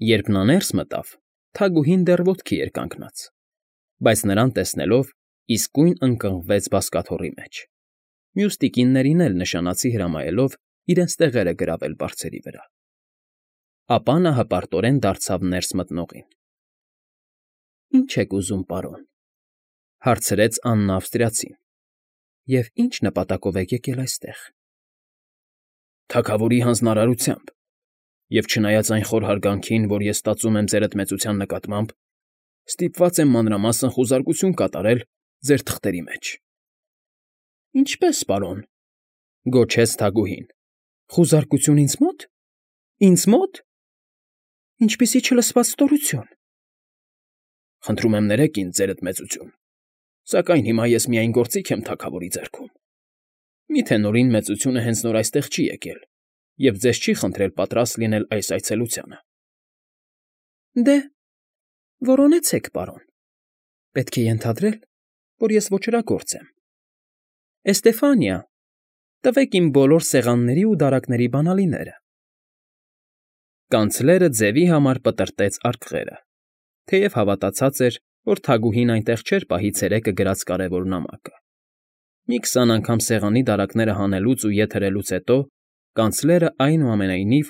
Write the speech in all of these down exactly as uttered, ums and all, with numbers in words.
Երբ նա ներս մտավ, Թագուհին դեռ ոտքի էր կանգնած, բայց նրան տեսնելով իսկույն ընկղմվեց բազկաթոռի մեջ, մյուս տիկիններին էլ նշանացի հրամայելով իրենց տեղերը գրավել բարձերի վրա, ապա նա հպարտորեն դարձավ ներս մտնողին։ ֊ Ի՞նչ եք ուզում, պարոն,֊ հարցրեց Աննա ավստրիացին,֊ և ի՞նչ նպատակով եք եկել այստեղ։ ֊ Թագավորի հանձնարարությամբ, և չնայած այն խոր հարգանքին, որ ես ստացում եմ ձեր էդմեցության նկատմամբ, ստիպված եմ մանրամասն խուզարկություն կատարել ձեր թղթերի մեջ։ ֊ Ինչպե՞ս, պարոն,֊ գոչեց Թագուհին,֊ խուզարկություն ինձ մո՞տ, ինձ մո՞տ… Ինչպիսի չլսված ստորություն… ֊ Խնդրում եմ ներեք ինձ, ձեր էդմեծություն, սակայն հիմա ես միայն գործիք եմ թագավորի ձեռքում… Մի՞թե Նորին մեծությունը հենց նոր այստեղ չի եկել և ձեզ չի խնդրել պատրաստ լինել այս այցելությանը։ ֊ Դե, որոնեցեք, պարոն, պետք է ենթադրել, որ ես ոճրագործ եմ… Էստեֆանիա, տվեք իմ բոլոր սեղանների ու դարակների բանալիները… Կանցլերը ձևի համար պտռտեց արկղերը, թեև հավատացած էր, որ Թագուհին այնտեղ չէր պահի ցերեկը գրած կարևոր նամակը։ Մի քսան անգամ սեղանի դարակները հանելուց ու ետ հրելուց հետո կանցլերը, այնուամենայնիվ,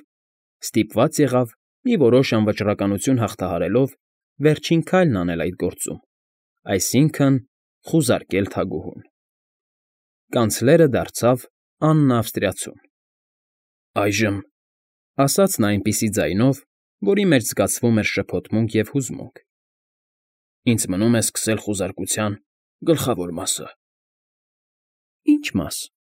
ստիպված եղավ, մի որոշ անվճռականություն հաղթահարելով, վերջին քայլն անել այդ գործում, այսինքն՝ խուզարկել թագուհուն։ Կանցլերը դարձավ Աննա ավստրիացուն։ ֊ Այժմ,֊ ասաց նա այնպիսի ձայնով, որի մեջ զգացվում էր շփոթմունք և հուզմունք,֊ ինձ մնում է սկսել խուզարկության գլխավոր մասը։ ֊ Ի՞նչ մաս,֊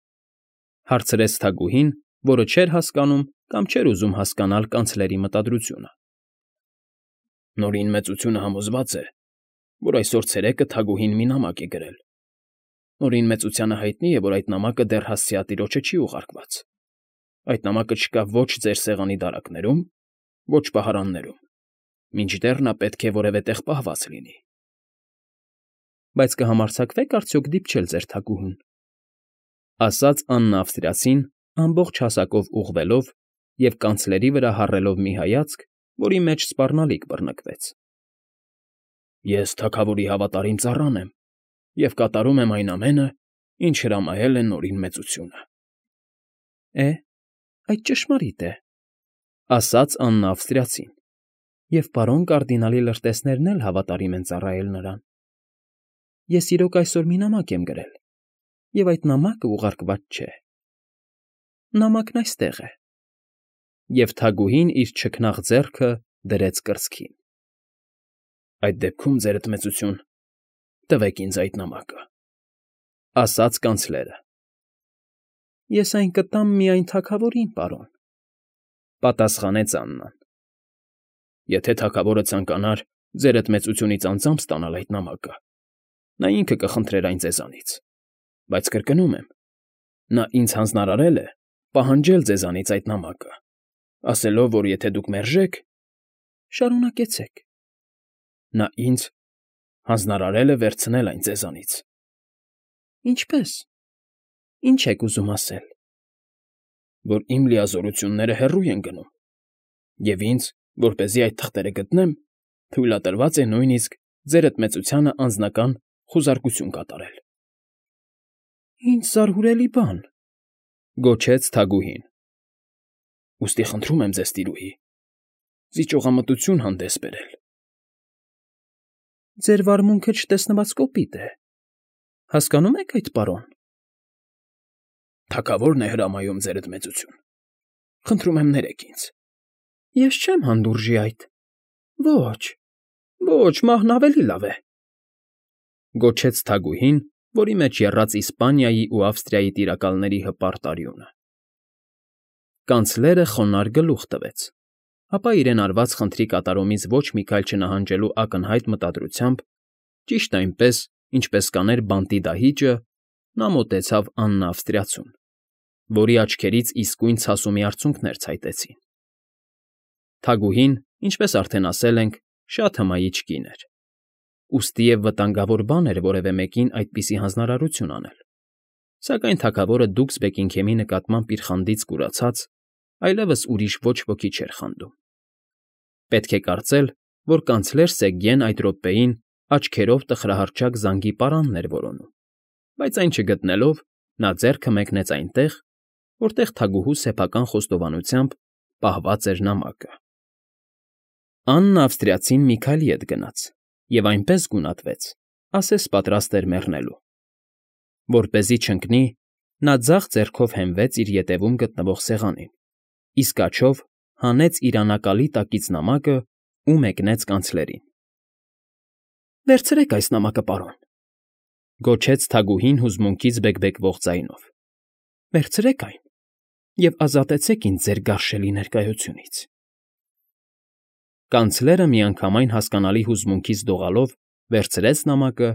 հարցրեց Թագուհին, որը չէր հասկանում կամ չէր ուզում հասկանալ կանցլերի մտադրությունը։ ֊ Նորին մեծությունը համոզված է, որ այսօր ցերեկը Թագուհին մի նամակ է գրել։ Նորին մեծությանը հայտնի է, որ այդ նամակը դեռ հասցեատիրոջը չի ուղարկված։ Այդ նամակը չկա ոչ ձեր սեղանի դարակներում, ոչ պահարաններում, մինչդեռ նա պետք է որևէ տեղ պահված լինի։ ֊ Բայց կհամարձակվե՞ք արդյոք դիպչել ձեր թագուհուն,֊ ասաց Աննա ավստրիացին, ամբողջ հասակով ուղղվելով և կանցլերի վրա հառելով մի հայացք, որի մեջ սպառնալիք բռնկվեց։ ֊ Ես թագավորի հավատարիմ ծառան եմ և կատարում եմ այն ամենը, ինչ հրամայել է Նորին մեծությունը։ ֊ Է, այդ ճշմարիտ է,֊ ասաց Աննա ավստրիացին,֊ և պարոն կարդինալի լրտեսներն էլ հավատարիմ են ծառայել նրան։ Ես իրոք այսօր մի նամակ եմ գրել, և այդ նամակը ուղարկված չէ… Նամակն այստեղ է… Եվ Թագուհին իր չքնաղ ձեռքը դրեց կրծքին։ ֊ Այդ դեպքում, ձեր էդմեծություն, տվեք ինձ այդ նամակը,֊ ասաց կանցլերը։ ֊ Ես այն կտամ միայն թագավորին, պարոն,֊ պատասխանեց Աննան։ ֊ Եթե թագավորը ցանկանար ձեր էդմեծությունից անձամբ ստանալ այդ նամակը, նա ինքը կխնդրեր այն ձեզանից, բայց կրկնում եմ, նա ինձ հանձնարարել է պահանջել ձեզանից այդ նամակը, ասելով, որ եթե դուք մերժեք… ֊ Շարունակեցեք։ ֊ Նա ինձ հանձնարարել է վերցնել այն ձեզանից։ ֊ Ինչպե՞ս, ինչ եք ուզում ասել։ ֊ Որ իմ լիազորությունները հեռու են գնում, և ինձ, որպեսզի այդ թղթերը գտնեմ, թույլատրված է նույնիսկ ձեր էդմեծությանը անձնական խուզարկություն կատարել։ ֊ Ինչ զարհուրելի բան,֊ գոչեց Թագուհին։ ֊ Ուստի խնդրում եմ ձեզ, տիրուհի, զիջողամտություն հանդես բերել։ ֊ Ձեր վարմունքը չտեսնված կոպիտ է, հասկանո՞ւմ եք այդ, պարոն։ ֊ Թագավորն է հրամայում, ձեր էդմեծություն, խնդրում եմ ներեք ինձ։ ֊ Ես չեմ հանդուրժի այդ… Ոչ, ոչ, մահն ավելի լավ է,֊ գոչեց Թագուհին, որի մեջ եռաց Իսպանիայի ու Ավստրիայի տիրակալների հպարտ արյունը։ Կանցլերը խոնարհ գլուխ տվեց, ապա իրեն արված խնդրի կատարումից ոչ մի քայլ չնահանջելու ակնհայտ մտադրությամբ, ճիշտ այնպես, ինչպես կաներ բանտի դահիճը, նա մոտեցավ Աննա ավստրիացուն, որի աչքերից իսկույն ցասումի արցունքներ ցայտեցին։ Թագուհին, ինչպես արդեն ասել ենք, շատ հմայիչ կին էր, ուստիև վտանգավոր բան էր որևէ մեկին այդպիսի հանձնարարություն անել, սակայն թագավորը դուքս Բեքինգհեմի նկատմամբ իր խանդից կուրացած, այլևս ուրիշ ոչ ոքի չէր խանդում։ Պետք է կարծել, որ կանցլեր Սեգգեն այդ րոպեին աչքերով տխրահարճակ զանգի պարանն էր որոնում, բայց այն չգտնելով, նա ձեռքը մեկնեց այնտեղ, որտեղ թագուհու սեփական խոստովանությամբ պահված էր նամակը։ Աննը ավստրիացին Միքայելի հետ գնաց և այնպես գունատվեց, ասես պատրաստ էր մեռնելու։ Որպեսզի չընկնի, նա ձախ ձեռքով հենվեց իր ետևում գտնվող սեղանին, իսկ աջով հանեց իր անակալի տակից նամակն ու մեկնեց կանցլերին։ ֊ Վերցրեք այս նամակը, պարոն,֊ գոչեց թագուհին հուզմունքից բեկբեկվող ձայնով։֊ Վերցրեք այն և ազատեցեք ինձ ձեր գարշելի ներկայությունից… Կանցլերը միանգամայն հասկանալի հուզմունքից դողալով վերցրեց նամակը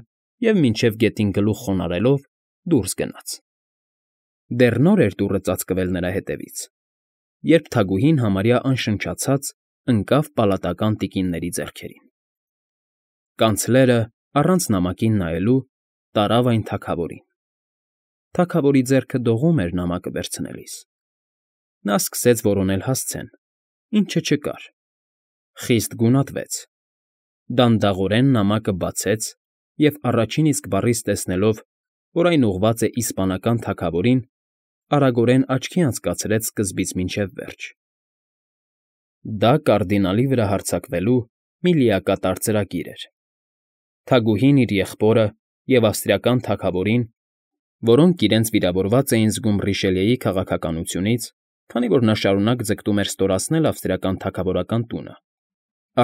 և, մինչև գետին գլուխ խոնարհելով, դուրս գնաց։ Դեռ նոր էր դուռը ծածկվել նրա հետևից, երբ թագուհին համարյա անշնչացած ընկավ պալատական տիկինների ձեռքերին։ Կանցլերը, առանց նամակին նայելու, տարավ այն թագավորին։ Թագավորի ձեռքը դողում էր նամակը վերցնելիս։ Նա սկսեց որոնել հասցեն, ինչը չկար, խիստ գունատվեց, դանդաղորեն նամակը բացեց և, առաջին իսկ բառից տեսնելով, որ այն ուղղված է իսպանական թագավորին, արագորեն աչքի անցկացրեց սկզբից մինչև վերջ։ Դա կարդինալի վրա հարձակվելու մի լիակատար ծրագիր էր։ Թագուհին իր եղբորը և ավստրիական թագավորին, որոնք իրենց վիրավորված էին զգում Ռիշելիեի քաղաքականությունից, քանի որ նա շարունակ ձգտում էր ստորացնել ավստրիական թագավորական տունը,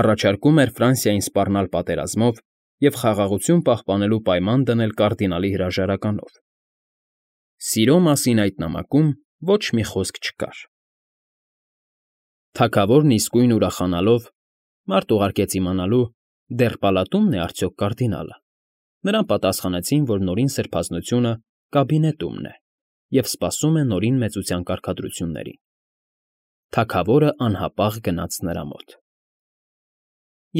առաջարկում էր Ֆրանսիային սպառնալ պատերազմով և խաղաղություն պահպանելու պայման դնել կարդինալի հրաժարականով։ Սիրո մասին այդ նամակում ոչ մի խոսք չկար։ Թագավորն իսկույն ուրախանալով (մարդ ուղարկեց իմանալու՝ դեռ պալատումն է արդյոք կարդինալը), նրան պատասխանեցին, որ նորին սրբազնությունը կաբինետումն է և սպասում է նորին մեծության կարգադրություններին։ Թագավորը անհապաղ գնաց նրա մոտ։ ֊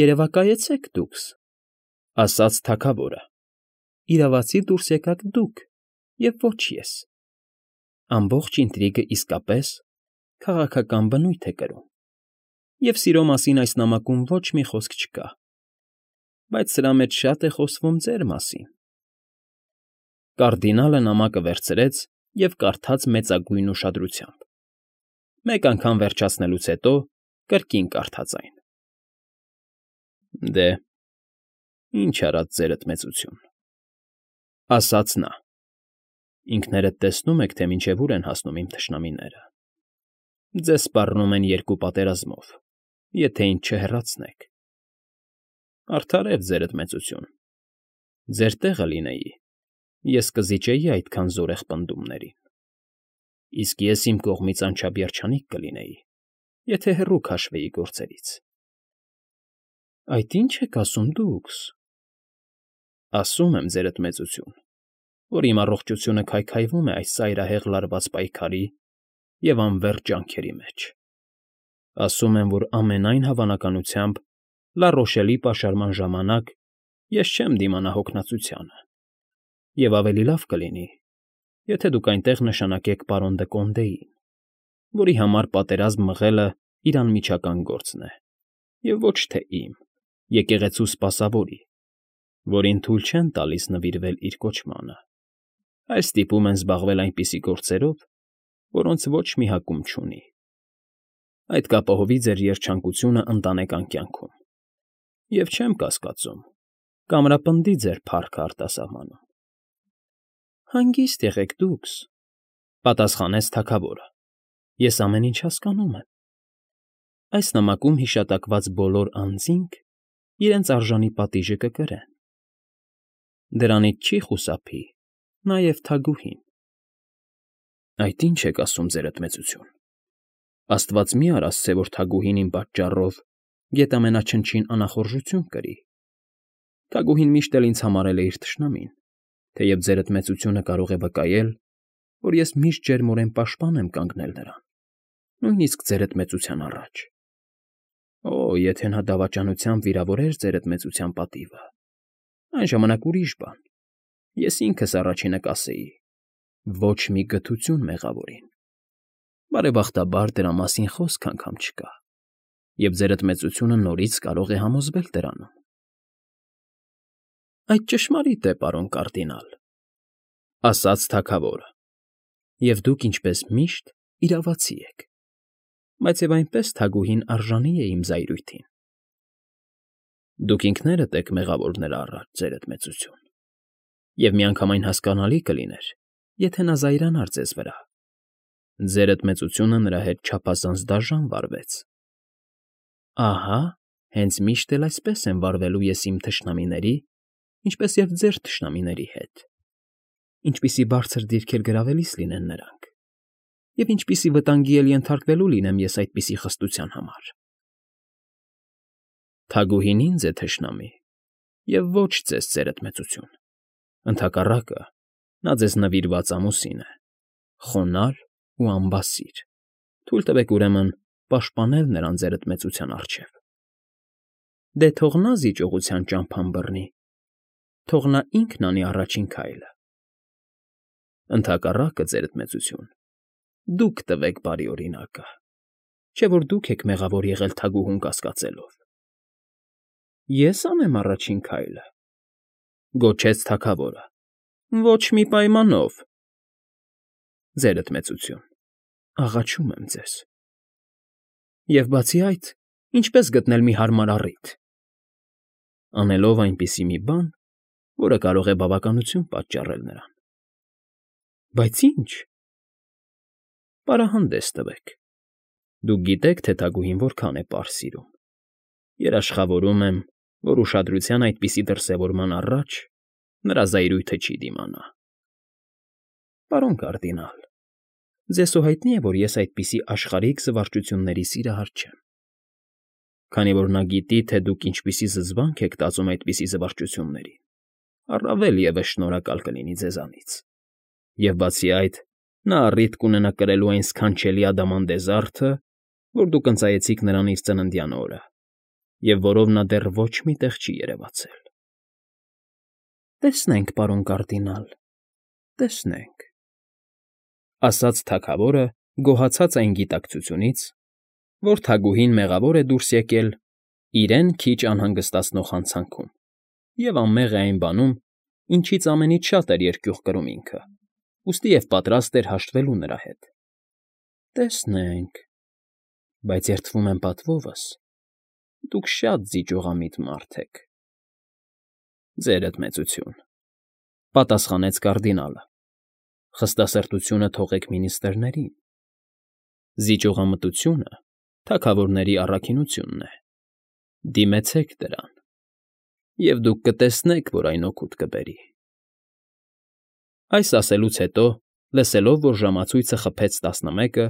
Երևակայեցեք դուքս,֊ ասաց թագավորը,֊ իրավացի դուրս եկաք դուք և ոչ ես… Ամբողջ ինտրիգը իսկապես քաղաքական բնույթ է կրում, և սիրո մասին այս նամակում ոչ մի խոսք չկա, բայց սրա մեջ շատ է խոսվում ձեր մասին… Կարդինալը նամակը վերցրեց և կարդաց մեծագույն ուշադրությամբ, մեկ անգամ վերջացնելուց հետո կրկին կարդաց այն։ ֊ Դե, ինչ արած ձերդ մեծություն,֊ ասաց նա։֊ Ինքներդ տեսնում եք, թե մինչև ուր են հասնում իմ թշնամիները… Ձեզ սպառնում են երկու պատերազմով, եթե ինձ չհեռացնեք… Արդարև, ձերդ մեծություն, ձեր տեղը լինեի, ես կզիջեի այդքան զորեղ պնդումներին… Իսկ ես իմ կողմից անչափ երջանիկ կլինեի, եթե հեռու քաշվեի գործերից… ֊ Այդ ի՞նչ եք ասում դուքս… ֊ Ասում եմ, ձերդ մեծություն, որ իմ առողջությունը քայքայվում է այս ծայրահեղ լարված պայքարի և անվերջ ջանքերի մեջ… Ասում եմ, որ ամենայն հավանականությամբ Լա֊Ռոշելի պաշարման ժամանակ ես չեմ դիմանա հոգնածությանը, և ավելի լավ կլինի, եթե դուք այնտեղ նշանակեք պարոն Դը Կոնդեին, որի համար պատերազմ մղելն իր անմիջական գործն է, և ոչ թե իմ՝ եկեղեցու սպասավորի, որին թույլ չեն տալիս նվիրվել իր կոչմանը, այլ ստիպում են զբաղվել այնպիսի գործերով, որոնց ոչ մի հակում չունի… Այդ կապահովի ձեր երջանկությունն ընտանեկան կյանքում, և չեմ կասկածում, կամրապնդի ձեր փառքը արտասահմանում… ֊ Հանգիստ եղեք դուքս,֊ պատասխանեց թագավորը,֊ ես ամեն ինչ հասկանում եմ… Այս նամակում հիշատակված բոլոր անձինք իրենց արժանի պատիժը կկրեն… Դրանից չի խուսափի նաև թագուհին… ֊ Այդ ի՞նչ եք ասում, ձերդ մեծություն… Աստված մի՛ արասցե, որ թագուհին իմ պատճառով գետամենաչնչին անախորժություն կրի… Թագուհին միշտ էլ ինձ համարել է իր թշնամին, թեև ձերդ մեծությունը կարող է վկայել, որ ես միշտ ջերմորեն պաշտպան եմ կանգնել նրան, նույնիսկ ձերդ մեծության առաջ… Օ՜, եթե նա դավաճանությամբ վիրավորեր ձերդ մեծության պատիվը, այն ժամանակ ուրիշ բան, ես ինքս առաջինը կասեի. ոչ մի գթություն մեղավորին… Բարեբախտաբար, դրա մասին խոսք անգամ չկա… և ձերդ մեծությունը նորից կարող է համոզվել դրանում։ ֊ Այդ ճշմարիտ է, պարոն կարդինալ,֊ ասաց թագավորը,֊ և դուք, ինչպես միշտ, իրավացի եք, բայց և այնպես թագուհին արժանի է իմ զայրույթին։ Դուք ինքներդ եք մեղավոր նրա առաջ, ձերդ մեծություն, և միանգամայն հասկանալի կլիներ, եթե նա զայրանար ձեզ վրա. ձերդ մեծությունը նրա հետ չափազանց դաժան վարվեց։ Ահա, հենց միշտ էլ այսպես եմ վարվելու ես իմ թշնամիների, ինչպես և ձեր թշնամիների հետ, ինչպիսի բարձր դիրքեր գրավելիս լինեն նրանք, և ինչպիսի վտանգի էլ ենթարկվելու լինեմ ես այդպիսի խստության համար։ Թագուհին ինձ է թշնամի, և ոչ ձեզ, ձերդ մեծություն, ընդհակառակը, նա ձեզ նվիրված ամուսին է, խոնարհ ու անբասիր, թույլ տվեք, ուրեմն, պաշտպանել նրան ձերդ մեծության առջև։ Դե թող նա զիջողության ճամփան բռնի, թող նա ինքն անի առաջին քայլը։ Ընդհակառակը, ձերդ մեծություն, դուք տվեք բարի օրինակը, չէ՞ որ դուք եք մեղավոր եղել թագուհուն կասկածելով։ Ե՞ս անեմ առաջին քայլը,֊ գոչեց թագավորը։ Ոչ մի պայմանով։ Ձերդ մեծություն, աղաչում եմ ձեզ։ Եվ բացի այդ, ինչպե՞ս գտնել մի հարմար առիթ։ Անելով այնպիսի մի բան, որը կարող է բավականություն պատճառել նրան։ Բայց ի՞նչ։ Պարահանդես տվեք։ Դուք գիտեք, թե թագուհին որքան է պարզ սիրում։ Երաշխավորում եմ, որ ուշադրության այդպիսի դրսևորման առաջ նրա զայրույթը չի դիմանա։ Պարոն կարդինալ, ձեզ հո հայտնի է, որ ես այդպիսի աշխարհիկ զվարճությունների սիրահար չեմ։ Քանի որ նա գիտի, թե դուք ինչպիսի զզվանք եք տածում այդպիսի զվարճություններին, առավել ևս շնորհակալ կլինի ձեզանից։ Եվ բացի այդ, նա առիթ կունենա կրելու այն սքանչելի ադամանդե զարդը, որ դուք ընծայեցիք նրան իր ծննդյան օրը, և որով նա դեռ ոչ մի տեղ չի երևացել։ Տեսնենք, պարոն կարդինալ, տեսնենք,֊ ասաց թագավորը, գոհացած այն գիտակցությունից, որ թագուհին մեղավոր է դուրս եկել իրեն քիչ անհանգստացնող հանցանքում և անմեղ է այն բանում, ինչից ամենից շատ էր երկյուղ կրում ինքը, ուստի և պատրաստ էր հաշտվելու նրա հետ։ Տեսնենք, բայց երդվում եմ պատվովս, դուք շատ զիջողամիտ մարդ եք։ Ձերդ մեծություն,֊ պատասխանեց կարդինալը, խստասրտությունը թողեք մինիստրներին։ Զիջողամտությունը թագավորների առաքինությունն է, դիմեցեք դրան, և դուք կտեսնեք, որ այն օգուտ կբերի։ Այս ասելուց հետո, լսելով, որ ժամացույցը խփեց տասնմեկը,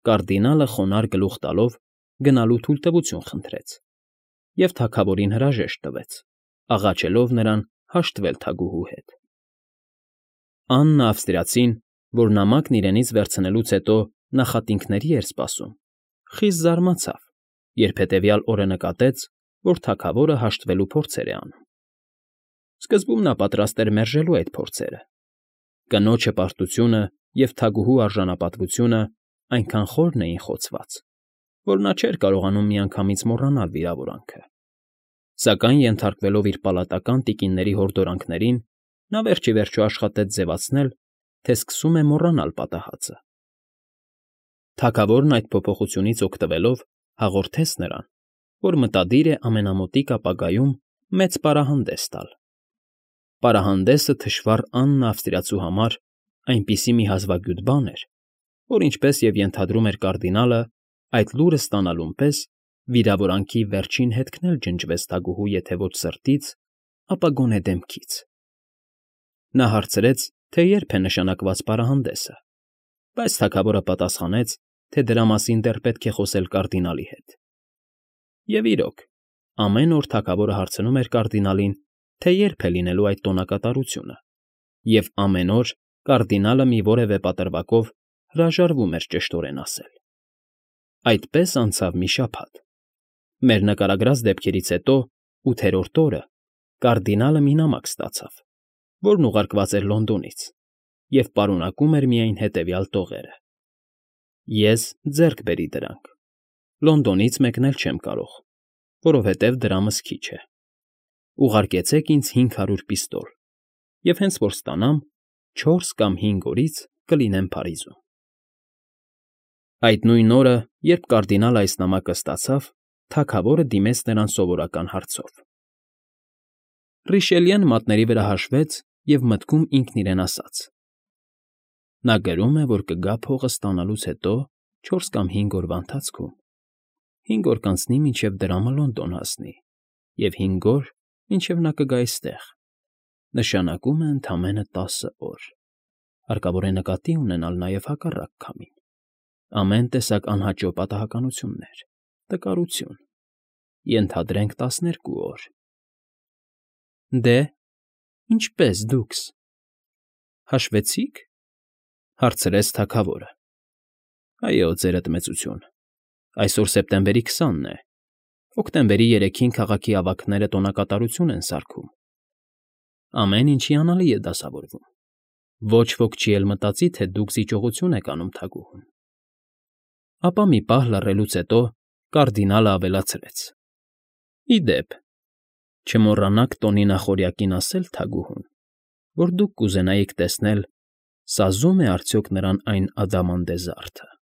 կարդինալը խոնարհ գլուխ տալով գնալու թույլտվություն խնդրեց և թագավորին հրաժեշտ տվեց, աղաչելով նրան հաշտվել թագուհու հետ։ Աննա ավստրիացին, որ նամակն իրենից վերցնելուց հետո նախատինքների էր սպասում, խիստ զարմացավ, երբ հետևյալ օրը նկատեց, որ թագավորը հաշտվելու փորձեր է անում։ Սկզբում նա պատրաստ էր մերժելու այդ փորձերը։ Կնոջը պարտությունը և թագուհու արժանապատվությունը այնքան խորն էին խոցված, որ նա չէր կարողանում միանգամից մոռանալ վիրավորանքը։ Սակայն, ենթարկվելով իր պալատական տիկինների հորդորանքներին, նա վերջ ի վերջո աշխատեց ձևացնել, թե սկսում է մոռանալ պատահածը։ Թագավորն այդ փոփոխությունից օգտվելով հաղորդեց նրան, որ մտադիր է ամենամոտիկ ապագայում մեծ պարահանդես տալ։ Պարահանդեսը թշվառ Աննա ավստրիացու համար այնպիսի մի հազվագյուտ բան էր, որ, ինչպես և ենթադրում էր կարդինալը, այդ լուրը ստանալուն պես վիրավորանքի վերջին հետքն էլ ջնջվեց թագուհու եթե ոչ սրտից, ապա գոնե դեմքից։ Նա հարցրեց, թե երբ է նշանակված պարահանդեսը, բայց թագավորը պատասխանեց, թե դրա մասին դեռ պետք է խոսել կարդինալի հետ։ Եվ իրոք, ամեն օր թագավորը հարցնում էր կարդինալին, թե երբ է լինելու այդ տոնակատարությունը, և ամեն օր կարդինալը մի որևէ պատրվակով հրաժարվում էր ճշտորեն ասել։ Այդպես անցավ մի շաբաթ։ Մեր նկարագրած դեպքերից հետո, ութերորդ օրը, կարդինալը մի նամակ ստացավ, որն ուղարկված էր Լոնդոնից և պարունակում էր միայն հետևյալ տողերը. «Ես ձեռք բերի դրանք, Լոնդոնից մեկնել չեմ կարող, որովհետև դրամս քիչ է։ Ուղարկեցեք ինձ հինգ հարյուր պիստոլ, և հենց որ ստանամ, չորս կամ հինգ օրից կլինեմ Փարիզում։ Այդ նույն օրը, երբ կարդինալը այս նամակը ստացավ, թագավորը դիմեց նրան սովորական հարցով։ Ռիշելյեն մատների վրա հաշվեց և մտքում ինքն իրեն ասաց. «Նա գրում է, որ կգա փողը ստանալուց հետո չորս կամ հինգ օրվա ընթացքում, հինգ օր կանցնի, մինչև դրամը Լոնդոն հասնի, և հինգ օր, մինչև նա կգա այստեղ, նշանակում է ընդամենը տասը օր. հարկավոր է նկատի ունենալ նաև հակառակ քամին, ամեն տեսակ անհաճո պատահականություններ, տկարություն, ենթադրենք տասներկու օր»։ Դե, ինչպե՞ս դուքս, հաշվեցի՞ք,֊ հարցրեց թագավորը։ Այո, ձերդ մեծություն, այսօր սեպտեմբերի քսանն է, հոկտեմբերի երեքին քաղաքի ավագները տոնակատարություն են սարքում, ամեն ինչ հիանալի է դասավորվում, ոչ ոք չի էլ մտածի, թե դուք զիջողություն եք անում թագուհուն։ Ապա մի պահ լռելուց հետո կարդինալը ավելացրեց. «Ի դեպ, չմոռանաք տոնի նախօրյակին ասել թագուհուն, որ դուք կուզենայիք տեսնել՝ սազո՞ւմ է արդյոք նրան այն ադամանդե զարդը»։